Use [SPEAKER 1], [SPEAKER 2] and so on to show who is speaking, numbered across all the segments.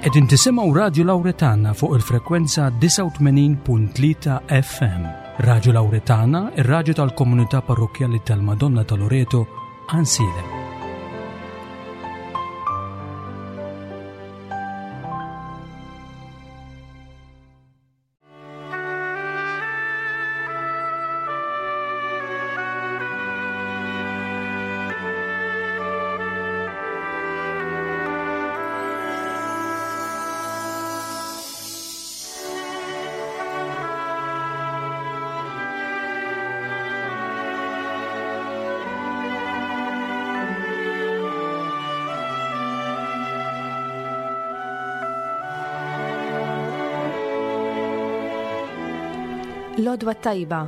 [SPEAKER 1] Qegħdin tisimgħu Radju Lawretana fuq il-frekwenza 89.3 FM. Radju Lawretana, ir-radju tal-komunità parrokkjali tal-Madonna ta' Loreto, Għansielem.
[SPEAKER 2] L-għodwa t-tajba.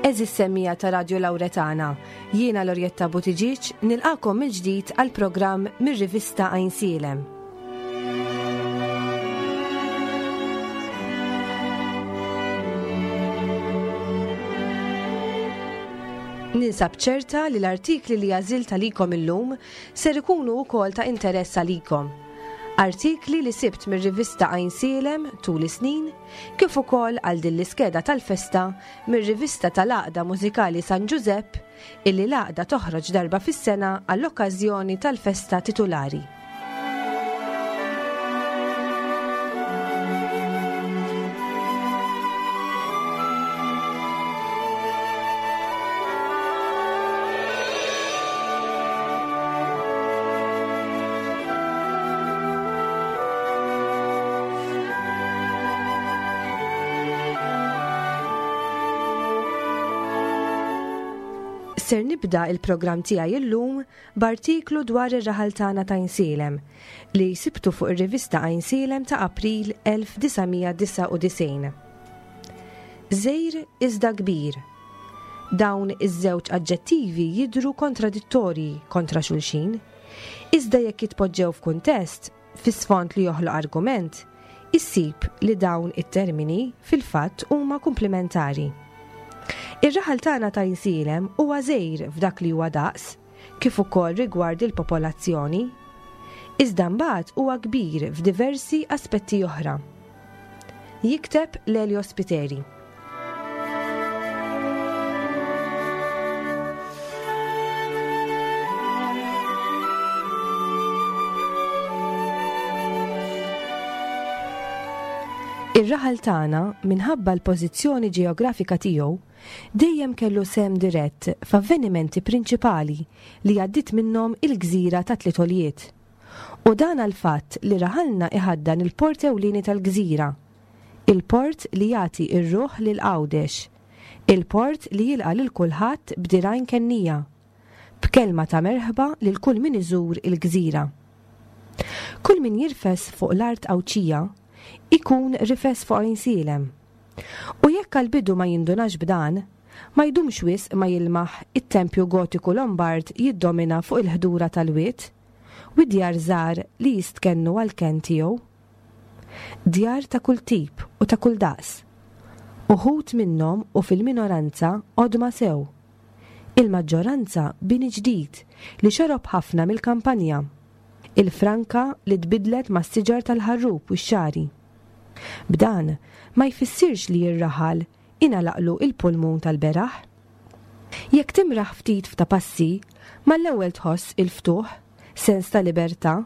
[SPEAKER 2] Eżis semmija ta' Radio Lauretana, jiena Lorjetta Buttigieg nilqakom mill-ġdid għal programm mir-rivista Għajnsielem. Ninsab ċerta li l-artikli li għażilt għalikom illum ser ikunu wkoll ta' interess għalikom. Artikli li sibt mir-rivista Għajnsielem tul is-snin, kif ukoll għal din l-iskeda tal-festa mir-rivista tal-Għaqda Mużikali San Ġużepp illi l-għaqda toħroġ darba fis-sena għall-okkażjoni tal-festa titulari. Ser nibda il-programm tiegħi illum b'artiklu dwar ir-raħal tagħna ta' Għajnsielem li sibtu fuq ir-rivista Għajnsielem ta' April 1999. Żgħir iżda kbir. Dawn iż-żewġ aġġettivi jidhru kontradittorji kontra xulxin. Iżda jekk jitpoġġew f'kuntest, fi sfond li joħloq argument, issib li dawn it-termini fil-fatt huma kumplimentari. Ir-raħal tagħna ta' Għajnsielem huwa żgħir f'dak li huwa daqs, kif ukoll rigward il-popolazzjoni. Iżda mbagħad huwa kbir f'diversi aspetti oħra. Jikteb Lelio Spiteri. Ir-raħal tagħna, minħabba l-pożizzjoni ġeografika tiegħu, dejjem kellu sehem dirett f'avvenimenti prinċipali li għaddiet minnhom il-gżira tat-Tliet Għoljiet. U dan għall-fatt li raħalna iħaddan il-port ewlieni tal-gżira, il-port li jagħti r-ruħ lil Għawdex, il-port li jilqa' lil kulħadd b'dirgħajn kennija, b'kelma ta' merħba lil kull min iżur il-gżira. Kull min jirfes fuq l-art Għawdxija jkun rifes fuq Għajnsielem. U jekk għall-bidu ma jindunax b'dan, ma jdumx wisq ma jilmaħ it-tempju Gotiku Lombard jiddomina fuq il-ħdura tal-wied, u d-djar żgħar li jistkennu għall-kenn tiegħu. Djar ta' kull tip u ta' kull daqs. Uħud minnhom u fil-minoranza qodma sew. Il-maġġoranza bini ġdid li xorob ħafna mill-kampanja. Il-franka li tbiddlet mas-siġar tal-ħarrub u x-xagħri. B'dan ma jfissirx li r-raħal ingħalaqlu il-pulmun tal-beraħ. Jekk timraħ ftit f'ta' passi, mal-ewwel tħoss il-ftuħ, sens ta' libertà,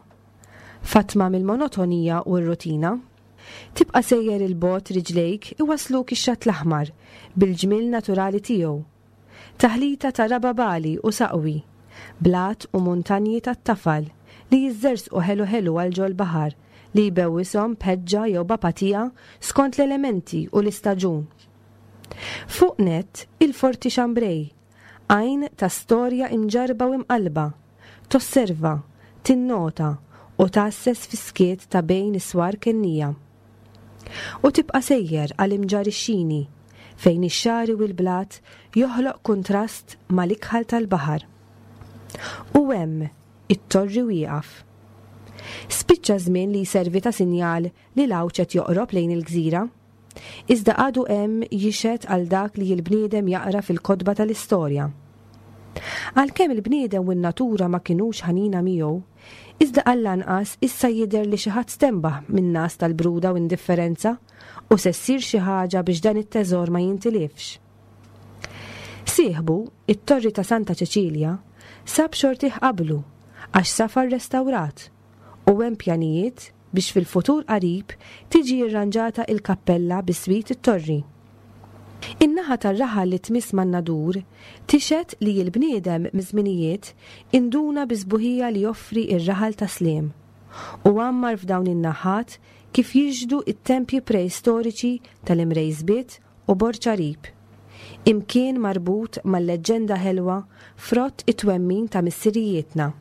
[SPEAKER 2] fatma mill-monotonija u r-rutina. Tibqa' sejjer 'il bogħod riġlejk iwassluk ix-Xatt l-Aħmar bil-ġmiel naturali tiegħu. Taħlita ta' raba' bagħli u saqwi, blat u muntanji tat-tafal li jiżżerżqu ħelu ħelu għal ġol-baħar li jbewwishom b'ħeġġa jew b'apatija skont l-elementi u l-istaġun. Fuq nett, il-Forti Chambray, għajn ta' storja imġarrba u imqallba, tosserva, tinnota u tgħasses fis-skiet ta' bejn is-swar kennija. U tibqa' sejjer għal Imġarr ix-Xini, fejn ix-xagħri u l-blat joħloq kuntrast mal-ikħal tal-baħar. U hemm, it-torri wieqaf. Spiċċa ż-żmien li jservi ta' sinjal li l-għawġ qed joqrob lejn il-gżira. Iżda għadu hemm jixhed għal dak li l-bniedem jaqra fil-kotba tal-istorja. Għalkemm il-bniedem u n-natura ma kinux ħanina miegħu, iżda għall-anqas issa jidher li xi ħadd stenbaħ min-ngħas tal-bruda u indifferenza u se ssir xi ħaġa biex dan it-teżor ma jintilifx. Sieħbu, it-Torri ta' Santa Ċeċilja, sab xortih qablu għax safa rrestawrat u hemm pjanijiet biex fil-futur qarib tiġi rranġata il-kappella biswit it-torri. In-naħa tar-raħal li tmiss man-Nadur tixhed li l-bniedem miż-żminijiet induna bis-sbuħija li joffri r-raħal ta' Sliem u għammar f'dawn in-naħat kif jixhdu t-tempji preistoriċi tal-Imrejsbiet u Borġ Għarib, imkien marbut mal-leġġenda ħelwa frott it-twemmin ta' missirijietna.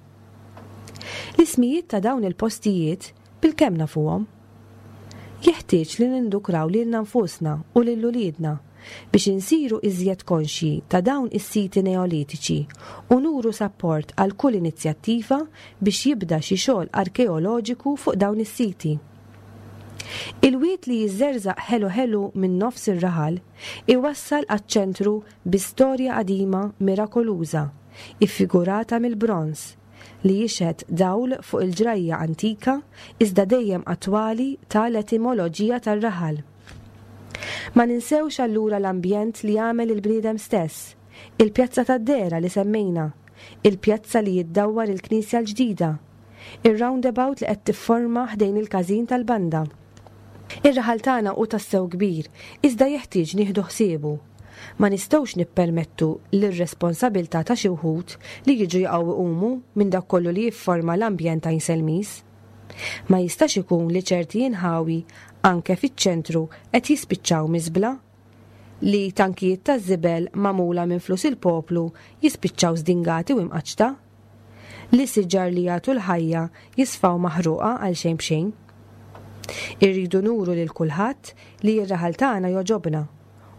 [SPEAKER 2] L-ismijiet ta' dawn il-postijiet bilkemm nafuhom. Jeħtieġ li nindukraw lilna nfusna u lil uliedna biex insiru iżjed konxji ta' dawn is-siti Neolitiċi u nuru sapport għal kull inizjattiva biex jibda xi xogħol arkeoloġiku fuq dawn is-siti. Il-wied li jiżżerżaq ħelu ħelu minn nofs ir-raħal iwassal għaċ-ċentru bi storja qadima mirakoluża, iffigurata mill-bronż, li jixhed dawl fuq il-ġrajja antika iżda dejjem attwali ta' l-etimoloġija tar-raħal. Ma ninsewx allura l-ambjent li għamel il-bniedem stess, il-pjazza tad-dehra li semmejna, il-pjazza li iddawwar il-knisja l-ġdida, Ir-roundabout li qed tifforma ħdejn il-każin tal-banda. Ir-raħal tagħna hu tassew kbir, iżda jeħtieġ nieħdu ħsiebu. Ma nistgħux nippermettu l-irresponsabiltà ta' xi wħud li jiġu jaqgħu iqumu minn dak kollu li jifforma l-ambjent Għajnselmiż. Ma jistax ikun li ċerti inħawi anke fiċ-ċentru qed jispiċċaw miżbla, li tankijiet taż-żibel magħmula minn flus il-poplu jispiċċaw żdingati u imqaċċta. Li siġar li jagħtu l-ħajja jisfaw maħruqa għal xejn b'xejn. Irridu nuru lil kulħadd li r-raħal tagħna jogħġobna,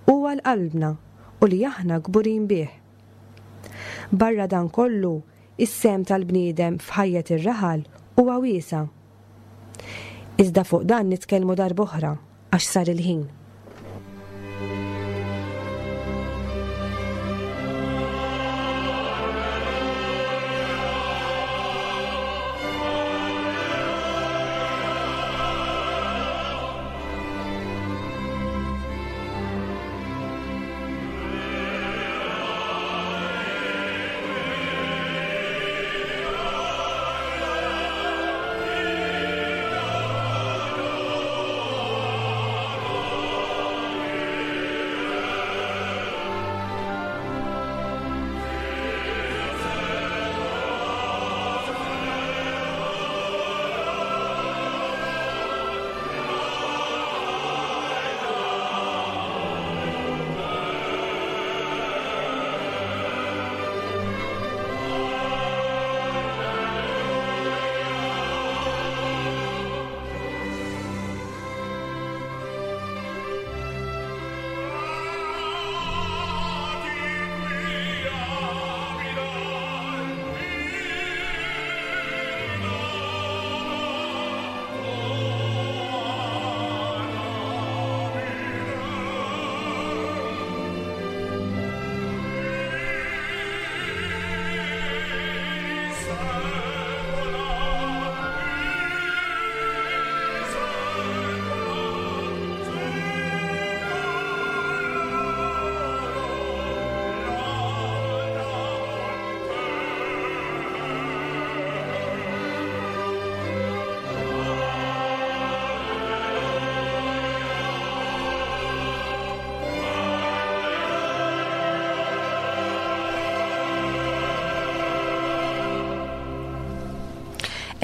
[SPEAKER 2] hu għal qalbna u li aħna kburin bih. Barra dan kollu, is-sehem tal-bniedem f'ħajjet ir-raħal huwa wiesa'. Iżda fuq dan nitkellmu darb'oħra. Għax sar il-ħin.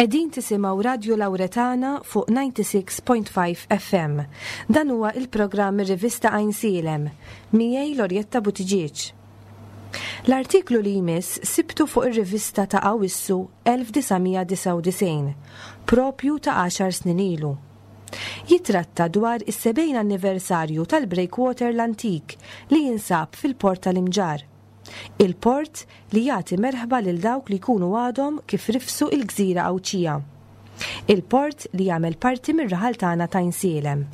[SPEAKER 2] Qegħdin tisimgħu Radju Lawretana fuq 96.5 FM. Dan huwa il-programm ir-rivista Għajnsielem. Miegħi Lorjetta Buttigieg. L-artiklu li jmiss sibtu fuq ir-rivista ta' Awwissu 1999, propju ta' għaxar snin ilu. Jitratta dwar is-70 anniversarju tal-breakwater l-antik li jinsab fil-Port tal-Imġarr. Il-port li jagħti merħba lil dawk li jkunu għadhom kif rifsu il-gżira Għawdxija. Il-port li jagħmel parti mir-raħal tagħna t'Għajnsielem.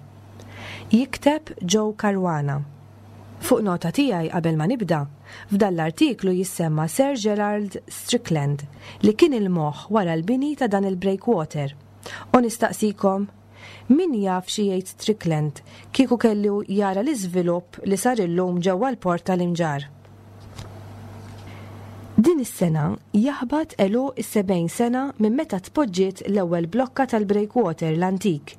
[SPEAKER 2] Jikteb Joe Caruana. Fuq nota tiegħi qabel ma nibda, f'dan l-artiklu jissemma Sir Gerald Strickland li kien il-moħħ wara l-bini ta' dan il-breakwater. U nistaqsikom, min jaf xi jgħid Strickland kieku kellu jara l-iżvilupp li sar illum ġewwa l-port tal-Imġarr? Din is-sena jaħbat għeluq is-70 sena minn meta tpoġġiet l-ewwel blokka tal-breakwater l-antik.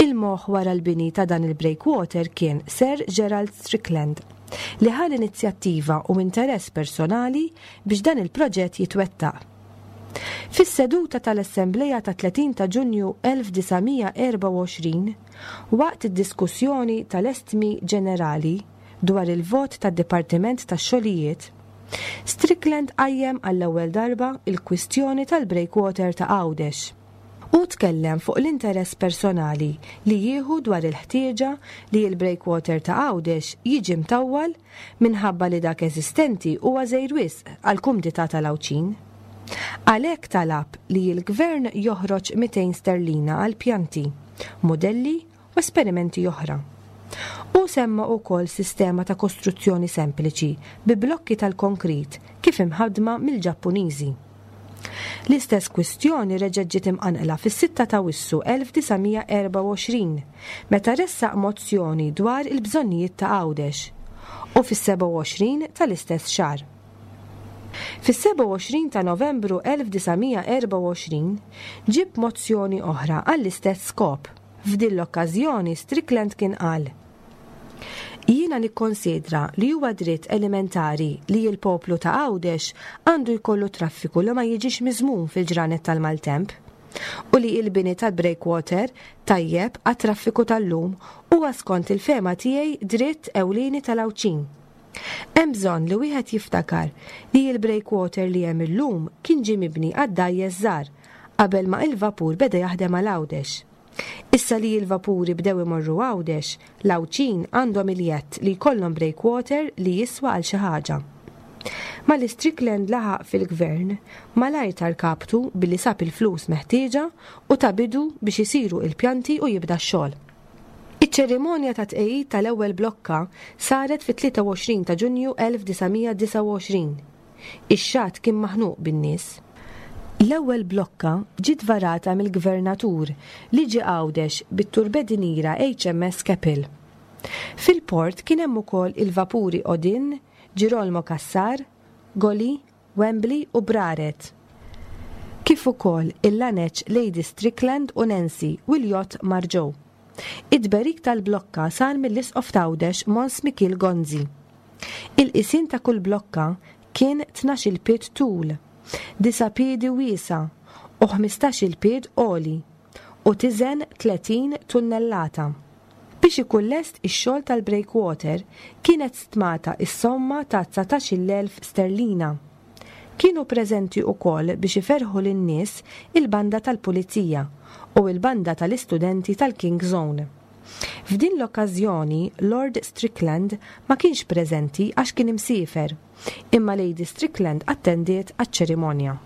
[SPEAKER 2] Il-moħħ wara l-bini ta' dan il-breakwater kien Sir Gerald Strickland, li ħa l-inizjattiva u interess personali biex dan il-proġett jitwettaq. Fis-seduta tal-Assemblea tat-30 ta' Ġunju 1924, waqt id-diskussjoni tal-Estmi Ġenerali dwar il-vot tad-Dipartiment tax-Xogħlijiet, Strickland qajjem għall-ewwel darba l-kwistjoni tal-breakwater ta' Għawdex. Hu tkellem fuq l-interess personali li jieħu dwar il-ħtieġa li l-breakwater ta' Għawdex jiġi mtawwal minħabba li dak eżistenti huwa żgħir wisq għall-kumdità tal-Għawdxin. Għalhekk talab li l-Gvern joħroġ 200 sterlina għal pjanti, mudelli u esperimenti oħra. Hu semma wkoll sistema ta' kostruzzjoni sempliċi bi blokki tal-konkrit kif imħaddma mill-Ġappuniżi. L-istess kwistjoni reġgħet ġiet imqanqla fis-sitta t'Awissu 1924 meta ressaq mozzjoni dwar il-bżonnijiet ta' Għawdex u fis-27 tal-istess xahar. Fis-27 ta' Novembru 1924 ġieb mozzjoni oħra għall-istess skop. F'din l-okkażjoni Strickland kien qal, Jiena nikkonsidra li huwa dritt elementari li l-poplu ta' Għawdex għandu jkollu traffiku li ma jiġix miżmum fil-ġranet tal-maltemp u li l-bini tal-breakwater tajjeb għat-traffiku tal-lum huwa skont il-fehma tiegħi dritt ewlieni tal-Għawdxin. Hemm bżonn li wieħed jiftakar li l-breakwater li hemm illum kien ġie mibni għad-dgħajjes żgħar qabel ma il-vapur beda jaħdem għal Għawdex. Issa li l-vapuri bdew imorru Għawdex, l-Għawdxin għandhom il-jedd li jkollhom breakwater li jiswa għal xi ħaġa. Malli Strickland laħaq fil-Gvern, malajr ta rkabtu billi sab il-flus meħtieġa u ta bidu biex isiru il-pjanti u jibda x-xogħol. Iċ-ċerimonja ta' tqegħid tal-ewwel blokka saret fit-23 ta' Ġunju 1929. Ix-xatt kien maħnuq bin-nies. L-ewwel blokka ġiet varata mill-Gvernatur li ġie Għawdex bit-turbedinira HMS Keppel. Fil-port kien hemm ukoll il-vapuri Odin, Girolmo Cassar, Goli, Wembley u Braret, kif ukoll il-laneċ Lady Strickland u Nancy u l-jott Marjoe. It-tberik tal-blokka sar mill-Isqof t'Għawdex Mons Mikiel Gonzi. Il-qisien ta' kull blokka kien tnax-il pied tul, disa' piedi wiesa' u ħmistax-il pied għoli, u tiżen 30 tunnellata. Biex ikun lest ix-xogħol tal-breakwater kienet stmata s-somma ta' dsatax-il elf sterlina. Kienu preżenti ukoll biex iferrħu lin-nies il-banda tal-Pulizija u l-banda tal-istudenti tal-King's Own. F'din l-okkażjoni Lord Strickland ma kienx preżenti għax kien imsiefer, imma Lady Strickland attendiet għaċ-ċerimonja.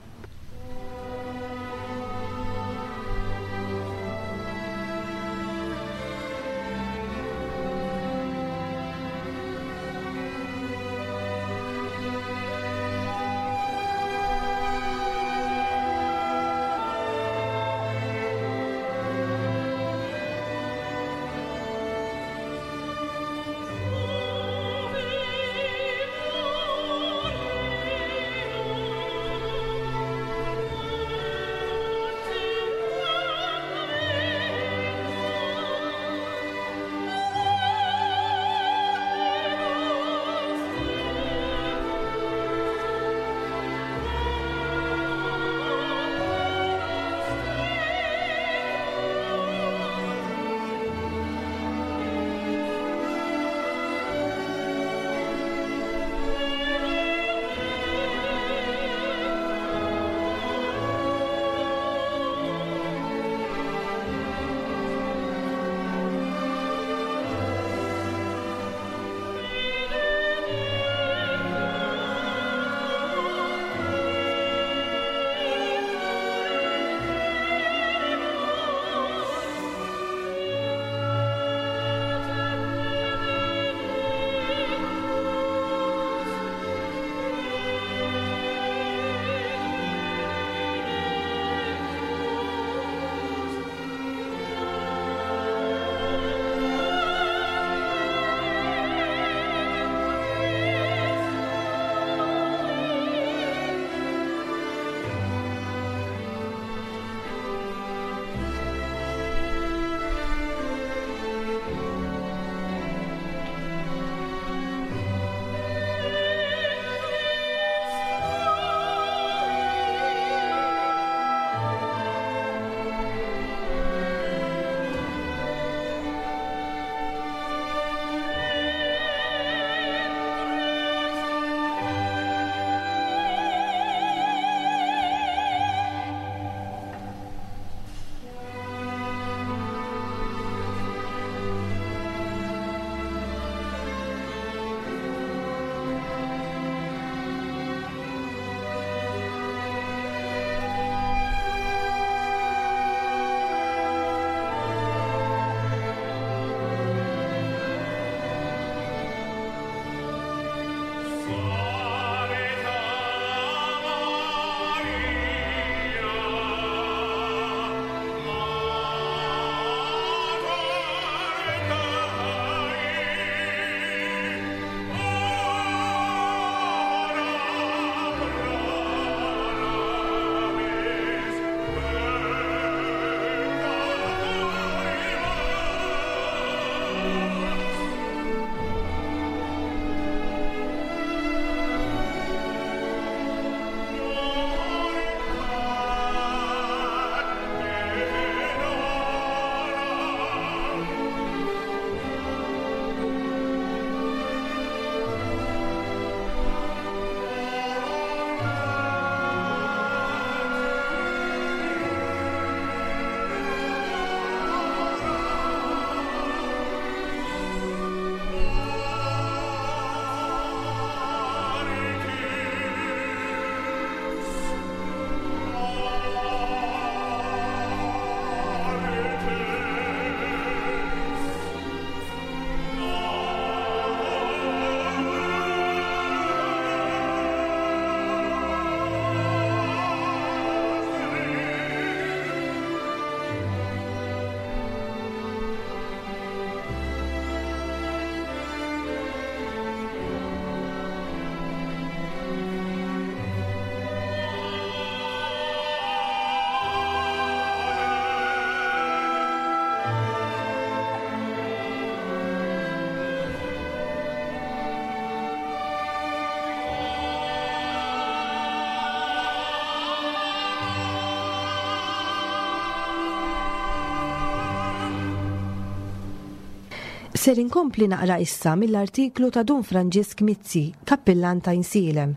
[SPEAKER 2] Ser inkompli naqra issa mill-artiklu ta' Dun Franġisk Mizzi, Kappillan t'Għajnsielem,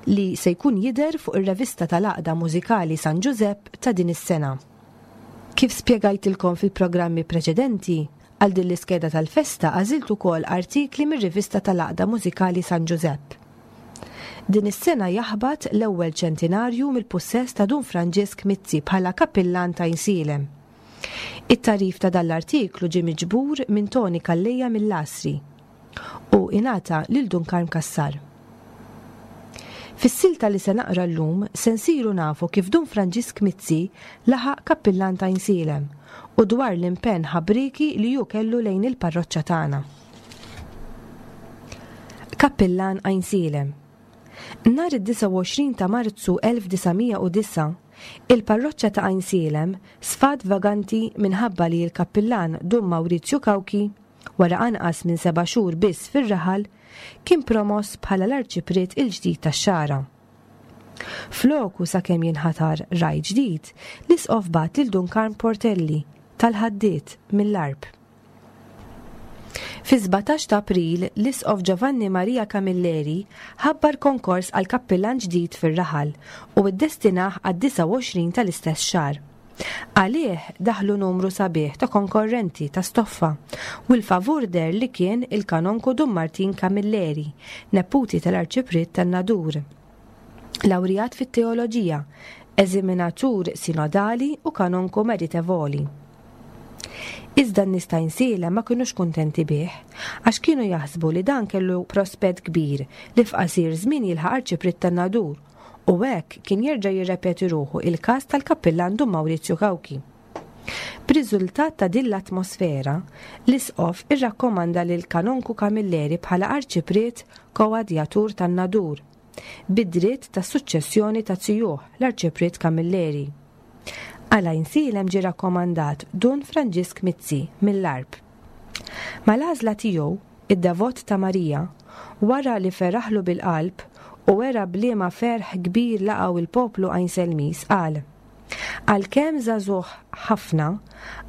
[SPEAKER 2] li se jkun jidher fuq ir-revista tal-Għaqda Mużikali San Ġużepp ta' din is-sena. Kif spjegajtilkom fil-programmi preċedenti, għal din l-iskeda tal-festa għażilt ukoll artikli mir-rivista tal-Għaqda Mużikali San Ġużepp. Din is-sena jaħbat l-ewwel ċentinarju mill-pussess ta' Dun Franġisk Mizzi bħala Kappillan t'Għajnsielem. It-tagħrif ta' dan l-artiklu ġie miġbur minn Toni Calleja mill-Għasri u ingħata lil Dun Karm Cassar. Fis-silta li se naqra llum se nsiru nafu kif Dun Franġisk Mizzi laħaq kappillan t'Għajnsielem u dwar l-impenn ħabrieki li hu kellu lejn il-parroċċa tagħna. Kappillan Għajnsielem. Nhar id-29 ta' Marzu 1909, il-parroċċa ta' Għajnsielem sfat vaganti minħabba li l-kappillan Dun Mawrizju Cauchi, wara anqas minn seba' xhur biss fir-raħal, kien promoss bħala l-Arċipriet il-ġdid tax-Xagħra. Floku sakemm jinħatar ragħaj ġdid, l-Isqof bagħat lil Dun Karm Portelli, tal-Ħaddied, mill-Għarb. Fis-17 ta' April, l-Isqof Giovanni Maria Camilleri ħabbar konkors għal kappillan ġdid fir-raħal u ddestinah għad-29 tal-istess xahar. Għalih daħlu numru sabiħ ta' konkorrenti ta' stoffa u l-favur deher li kien il-Kanonku Dun Martin Camilleri, neputi tal-Arċipriet tan-Nadur. Lawrijat fit-Teoloġija, eżiminatur sinodali u kanonku meritevoli. Iżda n-nies ta' Għajnsielem ma kinux kuntenti bih, għax kienu jaħsbu li dan kellu prospett kbir li f'qasir żmien jilħaq Arċipriet tan-Nadur u hekk kien jerġa' jirrepeti ruħu il-każ tal-Kappillan Dun Mawrizju Cauchi. B'riżultat ta' din l-atmosfera, l-Isqof irrakkomanda lil Kanonku Camilleri bħala Arċipriet Koadjatur tan-Nadur, bid-dritt tas-suċċessjoni ta' zijuh, l-Arċipriet Camilleri. Għal Għajnsielem ġie rakkomandat Dun Franġisk Mizzi mill-Għarb. Mal-għażla tiegħu, id-devot ta' Marija, wara li feraħlu bil-qalb u wera b'liema ferħ kbir laqgħu il-poplu Għajnselmiż, qal, Għalkemm żagħżugħ ħafna,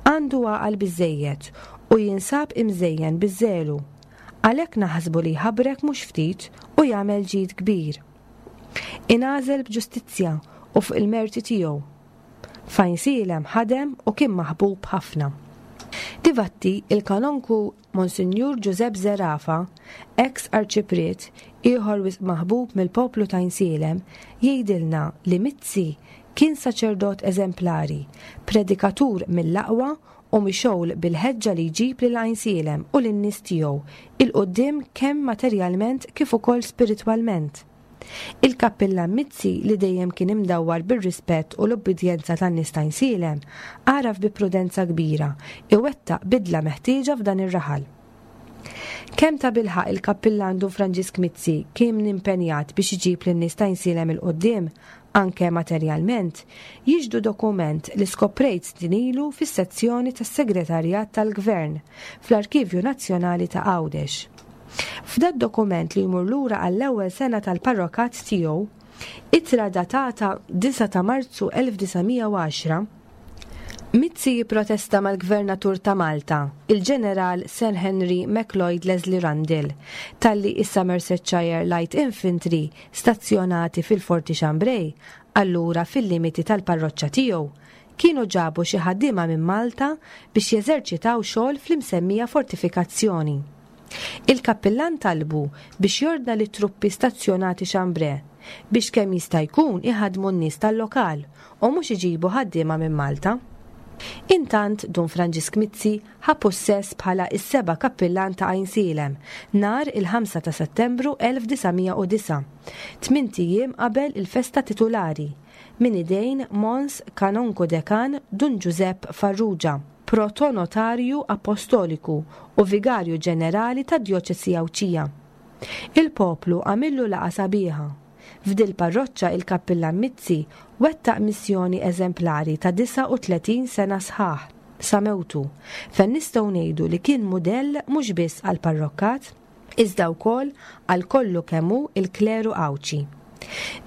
[SPEAKER 2] għandu għaqal biżżejjed u jinsab imżejjen biż-żelu. Għalhekk naħsbu li jħabrek mhux ftit u jagħmel ġid kbir. Ingħażel b'ġustizzja u fuq il-merti tiegħu. F'Għajnsielem ħadem u kien maħbub ħafna. Difatti, il-Kanonku Monsinjur Ġużepp Zerafa, eks Arċipriet, ieħor wisq maħbub mill-poplu t'Għajnsielem, jgħidilna li Mizzi kien saċerdot eżemplari, predikatur mill-aqwa u mixgħul bil-ħeġġa li jġib lil Għajnsielem u lin-nies tiegħu 'il quddiem kemm materjalment kif ukoll spiritwalment. Il-Kappillan Mizzi li dejjem kien imdawwar bir-rispett u l-ubbidjenza tan-nies t'Għajnsielem għaraf bi prudenza kbira iwettaq bidla meħtieġa f'dan ir-raħal. Kemm tabilħaqq il-Kappillan Dun Franġisk Mizzi kien impenjat biex iġib lin-nies t'Għajnsielem 'il quddiem, anke materjalment, jixhdu dokument li skoprejt snin ilu fis-sezzjoni tas-Segretarjat tal-Gvern fl-Arkivju Nazzjonali ta' Għawdex. F'dad-dokument li jmur lura għall-ewwel sena tal-parrokat tiegħu, ittra datata 9 ta' Marzu 1910, Mizzi jipprotesta mal-Gvernatur ta' Malta, il-Ġeneral Sir Henry MacLeod Leslie Rundle, talli is-Somersetshire Light Infantry stazzjonati fil-Forti Chambray, allura fil-limiti tal-parroċċa tiegħu, kienu ġabu xi ħaddiema minn Malta biex jeżerċitaw xogħol fl-imsemmija fortifikazzjoni. Il-kappillan talbu biex jordna lit-truppi stazzjonati Chambray biex kemm jista' jkun iħaddmu n-nies tal-lokal u mhux iġibu ħaddiema minn Malta. Intant Dun Franġisk Mizzi ħa pussess bħala s-seba' kappillan ta' Għajnsielem nhar il-ħamsa ta' Settembru 1909, tmint ijiem qabel il-festa titulari, minn idejn Mons Kanonku Dekan Dun Ġużepp Farrugia, Protonotarju Appostoliku u Vigarju Ġenerali tad-Djoċesi Għawdxija. Il-poplu għamillu laqgħa sabiħa. F'dil-parroċċa il-Kappillan Mizzi wettaq missjoni eżemplari ta' 39 sena sħaħ, sa mewtu, fejn nistgħu ngħidu li kien mudell mhux biss għall-parrokkat, iżda wkoll għal kollu kemm hu l-kleru Għawdxi.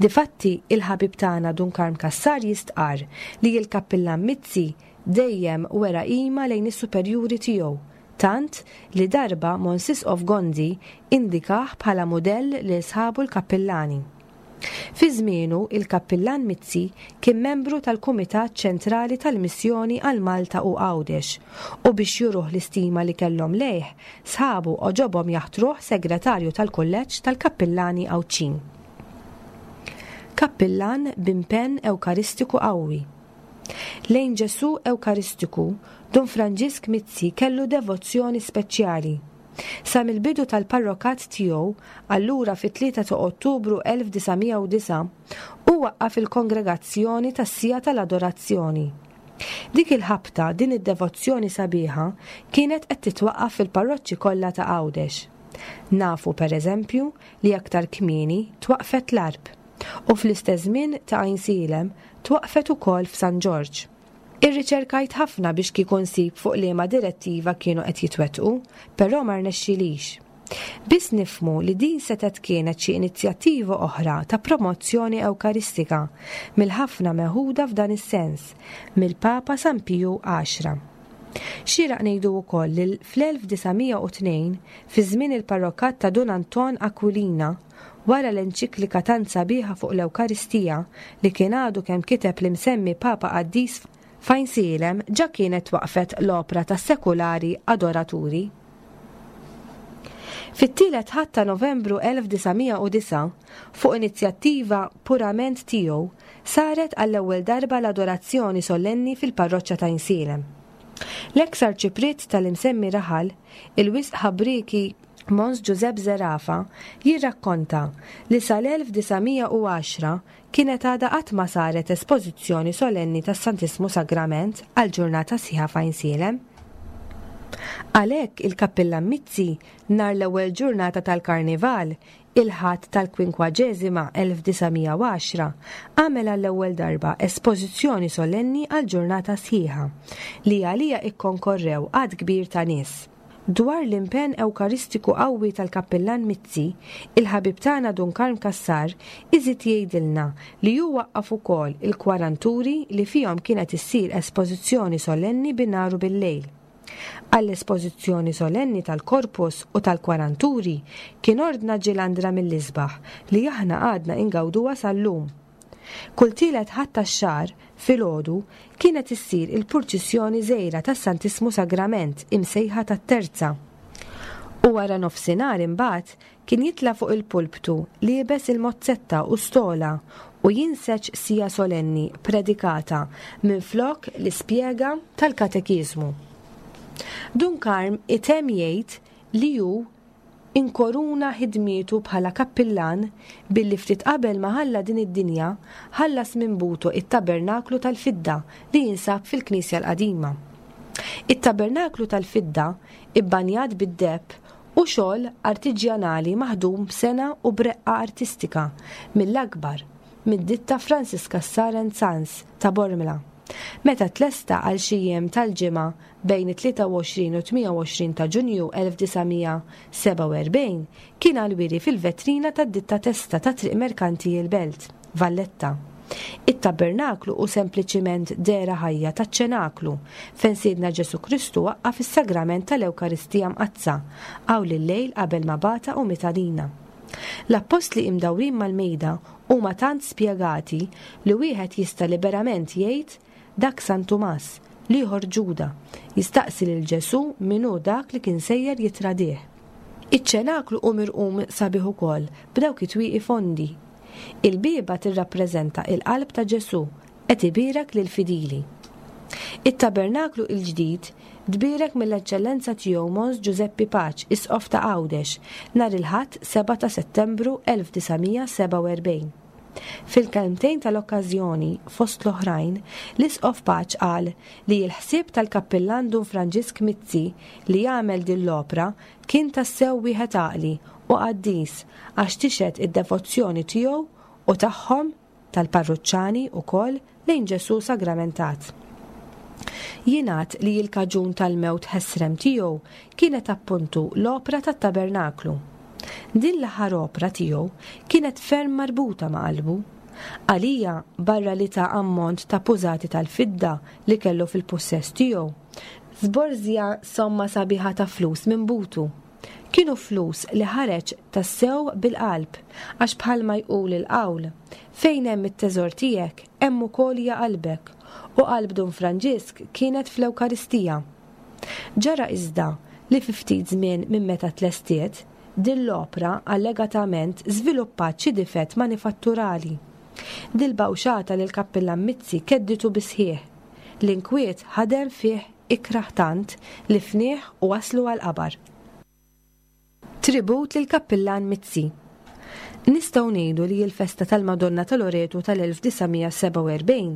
[SPEAKER 2] Difatti, il-ħabib tagħna Dun Karm Cassar jistqarr li l-Kappillan Mizzi dejjem wera qima lejn is-superjuri tiegħu. tant li darba Mons Isqof Gonzi indikah bħala mudell lil sħabu l-kappillani. Fi żmienu, il-Kappillan Mizzi kien membru tal-Kumitat Ċentrali tal-Missjoni għal Malta u Għawdex u biex juruh l-istima li kellhom lejh, sħabu għoġobhom jaħtruh Segretarju tal-Kulleġġ tal-Kappillani Għawdxin. Kappillan b'impenn Ewkaristiku qawwi. Lejn Ġesù Ewkaristiku, Dun Franġisk Mizzi kellu devozzjoni speċjali. Sa mill-bidu tal-parrokat tiegħu, allura fit-3 ta' Ottubru 1909, hu waqqaf il-Kongregazzjoni tas-Siegħa tal-Adorazzjoni. Dik il-ħabta din id-devozzjoni sabiħa kienet qed titwaqqaf fil-parroċċi kollha ta' Għawdex. Nafu, per eżempju, li aktar kmieni twaqqfet l-Għarb, u fl-istess żmien ta' Għajnsielem twaqqfet ukoll f'San Ġorġ. Irriċerkajt ħafna biex kieku nsib fuq liema direttiva kienu qed jitwettqu, però ma rnexxilix. Biss nifhmu li din setgħet kienet xi inizjattiva oħra ta' promozzjoni Ewkaristika mill-ħafna meħuda f'dan is-sens mill-Papa San Piju Għaxra. Xieraq ngħidu wkoll li fl-1902, fi żmien il-parrokat ta' Dun Anton Aquilina, Wara l-enċiklika tant sabiħa fuq l-Ewkaristija li kien għadu kemm kiteb l-imsemmi Papa Qaddis f'Għajnsielem ġa kienet twaqqfet l-opra tas-sekulari adoraturi. Fit-tielet Ħadd ta' Novembru 1909, fuq inizjattiva purament tiegħu, saret għall-ewwel darba l-adorazzjoni sollenni fil-parroċċa t'Għajnsielem. L-eks Arċipriet tal-imsemmi raħal, il-wisq ħabrieki Mons Ġużepp Zerafa jirrakkonta li sal-1910 kienet għadha qatt ma saret espożizzjoni solenni tas-Santissmu Sagrament għal ġurnata sħiħa f'Għajnsielem. Għalhekk il-Kappillan Mizzi nhar l-ewwel ġurnata tal-Karnival, il-Ħadd tal-Kwinkwaġeżima 1910, għamel għall-ewwel darba espożizzjoni solenni għal ġurnata sħiħa, li għaliha ikkonkorrew għadd kbir ta' nies. Dwar l-impenn Ewkaristiku qawwi tal-Kappillan Mizzi, il-ħabib tagħna Dun Karm Cassar iżid jgħidilna li hu waqqaf ukoll il-kwaranturi li fihom kienet issir espożizzjoni solenni bi nhar u bil-lejl. Għall-espożizzjoni solenni tal-Corpus u tal-kwaranturi kien ordna ġilandra mill-isbaħ li aħna għadna ingawduha sal-lum. Kull tielet Ħadd tax-xahar, filgħodu, kienet issir il-purċissjoni żgħira tas-Santissmu Sagrament imsejħa tat-Terza. U wara nofsinhar imbagħad kien jitla' fuq il-pulptu liebes il-mozzetta u stola u jinseġ siegħa solenni predikata minflok l-ispjega tal-katekiżmu. Dun Karm itemm jgħid li hu Inkoruna ħidmietu bħala kappillan billi ftit qabel ma ħalla din id-dinja ħallas minn butu it-tabernaklu tal-fidda li jinsab fil-knisja l-qadima. It-tabernaklu tal-fidda, ibbanjat bid-deheb, hu xogħol artiġjanali maħdum b'sengħa u b'reqqa artistika mill-akbar mid-ditta Francis Cassar and Sons ta' Bormla. Meta tlesta għal xi jiem tal-ġimgħa bejn it-23 u 28 ta' Ġunju 1947 kien għall-wiri fil-vetrina tad-ditta Testa ta' Triq Merkanti il-Belt, Valletta. It-tabernaklu hu sempliċiment dehra ħajja taċ-ċenaklu fejn Sidna Ġesù Kristu waqqaf is-sagrament tal-Ewkaristija Mqaddsa hawn il-lejl qabel ma bata u miet għalina. L-appostli imdawrin mal-mejda huma tant spjegati li wieħed jista' liberament jgħid Dak San Tumas, l-ieħor Ġuda, jistaqsi lil Ġesù min hu dak li kien sejjer jittradih. Iċ-ċenaklu hu mirqum sabiħ ukoll b'dawk it-twieqi fondi. Il-bieba tirrappreżenta il-qalb ta' Ġesù qed ibierek lill-fidili. It-tabernaklu il-ġdid tbierek mill-Eċċellenza Tiegħu Mons Ġużeppi Paċ, Isqof ta' Għawdex, nhar il-Ħadd 7 ta' Settembru 1947. Fil-kelmtejn tal-okkażjoni, fost l-oħrajn, l-Isqof Pace qal li l-ħsieb tal-Kappillan Dun Franġisk Mizzi li jagħmel din l-opra kien tassew wieħed għaqli u qaddis għax tixhed id-devozzjoni tiegħu u tagħhom, tal-parruċċani, ukoll lejn Ġesù Sagramentat. Jingħad li l-kaġun tal-mewt ħesrem tiegħu kienet appuntu l-opra tat-tabernaklu. Din l-aħħar opra tiegħu kienet ferm marbuta ma' qalbu. Għalija, barra li ta ammont ta' pużati tal-fidda li kellu fil-pussess tiegħu, żborżja somma sabiħa ta' flus minn butu. Kienu flus li ħareġ tassew bil-qalb, għax bħalma jqul il-qawl, fejn hemm it-teżor tiegħek, hemm ukoll hija qalbek, u qalb Dun Franġisk kienet fl-Ewkaristija. Ġara iżda li fi ftit żmien minn meta tlestiet, din l-opra allegatament żviluppat xi difett manifatturali. Dil-bawxata lill-Kappillan Mizzi kedditu bis-sħiħ. L-inkwiet ħadem fih ikrah tant li fnieh u wasslu għall-qabar. Tribut lill-Kappillan Mizzi Nistgħu ngħidu li l-festa tal-Madonna ta' Loreto tal-1947,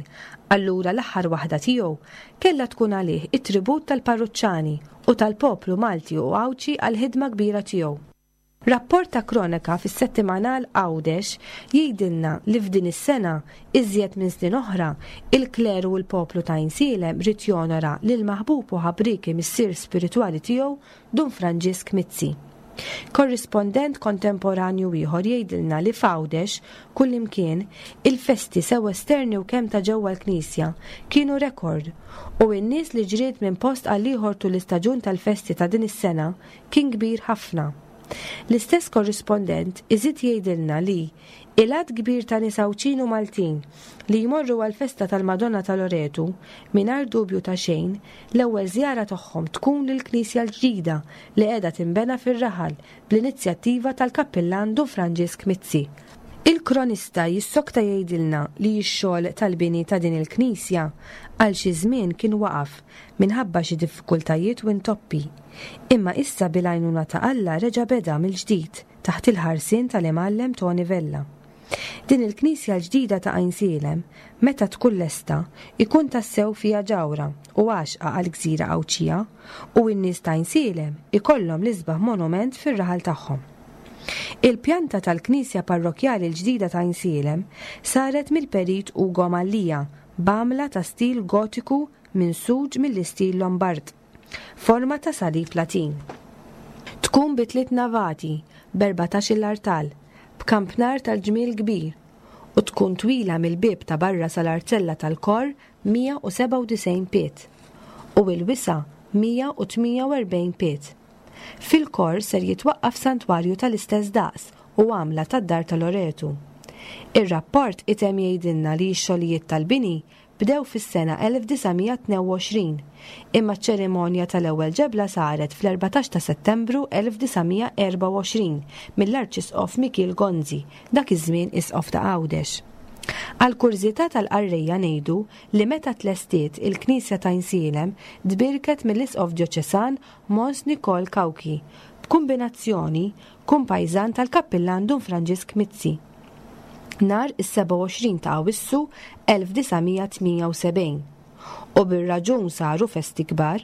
[SPEAKER 2] allura l-aħħar waħda tiegħu, kellha tkun għalih it-tribut tal-parruċċani u tal-poplu Malti u Għawdxi għall-ħidma kbira tiegħu. Rapport ta' kronaka fis-settimanal Għawdex jgħidilna li f'din is-sena, iżjed minn snin oħra, il-kleru u l-poplu ta' Għajnsielem ried jonora lill-maħbub u ħabrieki missier spiritwali tiegħu Dun Franġisk Mizzi. Korrispondent kontemporanju ieħor jgħidilna li f'Għawdex, kullimkien, il-festi sew esterni u kemm ta' ġewwa l-knisja, kienu rekord u n-nies li ġriet minn post għall-ieħor tul l-istaġun tal-festi ta' din is-sena kien kbir ħafna. L-istess korrispondent iżid jgħidilna li il-għadd kbir ta' nies Għawdxin u Maltin li jmorru għall-festa tal-Madonna ta' Loretu, mingħajr dubju ta' xejn, l-ewwel żjara tagħhom tkun lill-knisja l-ġdida li qiegħda tinbena fir-raħal bl-inizjattiva tal-Kappillan Dun Franġisk Mizzi. Il-kronista jissokta jgħidilna li x-xogħol tal-bini ta' din il-knisja għal xi żmien kien waqaf minħabba xi diffikultajiet u intoppi. Imma issa bil-għajnuna ta' Alla reġa' beda mill-ġdid taħt il-ħarsien tal-Imgħallem Toni Vella. Din il-knisja l-ġdida ta' Għajnsielem, meta tkun lesta, ikun tassew fiha ġawhra u għaxqa għall-gżira Għawdxija u n-nies ta' Għajnsielem ikollhom l-isbaħ monument fir-raħal tagħhom. Il-pjanta tal-knisja parrokkjali l-ġdida ta' Għajnsielem saret mill-Perit Ugo Mallia b'għamla ta' stil Gotiku minsuġ mill-istil Lombard. Forma ta' salib Latin. Tkun bi tliet navati, b'erbatax-il artal, b'kampnar tal-ġmiel kbir, u tkun twila mill-bieb ta' barra sal-arzella tal-kor 197 pied, u il-wisa' 148 pied. Fil-kor ser jitwaqqaf santwarju tal-istess daqs u għamla tad-Dar ta' Loretu. Ir-rapport itemm jgħidilna li x-xogħlijiet tal-bini bdew fis-sena 1922, imma ċ-ċerimonja tal-ewwel ġebla saret fl-14 ta' Settembru 1924 mill-Arċisqof Mikiel Gonzi, dak iż-żmien Isqof ta' Għawdex. Għall-kurżità tal-qarrejja ngħidu li meta tlestiet il-knisja t'Għajnsielem tbierket mill-Isqof Djoċesan Mons Nikol Cauchi, b'kumbinazzjoni kumpajżan tal-Kappillan Dun Franġisk Mizzi. Nhar is-27 ta' Awwissu 1978. U bir-raġun saru festi kbar.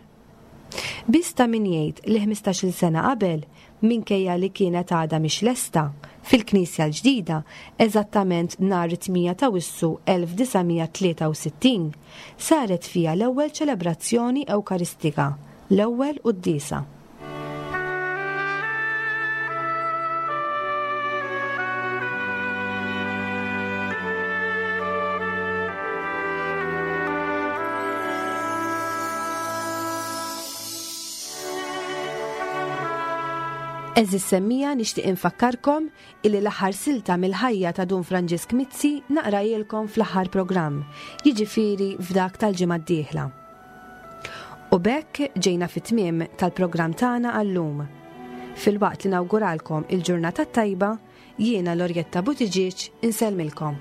[SPEAKER 2] Biss ta' min jgħid li ħmistax-il sena qabel, minkejja li kienet għadha mhix lesta, fil-knisja l-ġdida, eżattament nhar it-8 t'Awissu 1963, saret fiha l-ewwel ċelebrazzjoni Ewkaristika, l-ewwel quddiesa. Eżis semmija nixtieq infakkarkom illi l-aħħar silta mill-ħajja ta' Dun Franġisk Mizzi naqrajilkom fl-aħħar programm, jiġifieri f'dak tal-ġimgħa d-dieħla. U b'hekk ġejna fit-tmiem tal-programm tagħna għal-lum. Filwaqt li nawguralkom il-ġurnata t-tajba, jiena Lorjetta Buttigieg insellmilkom.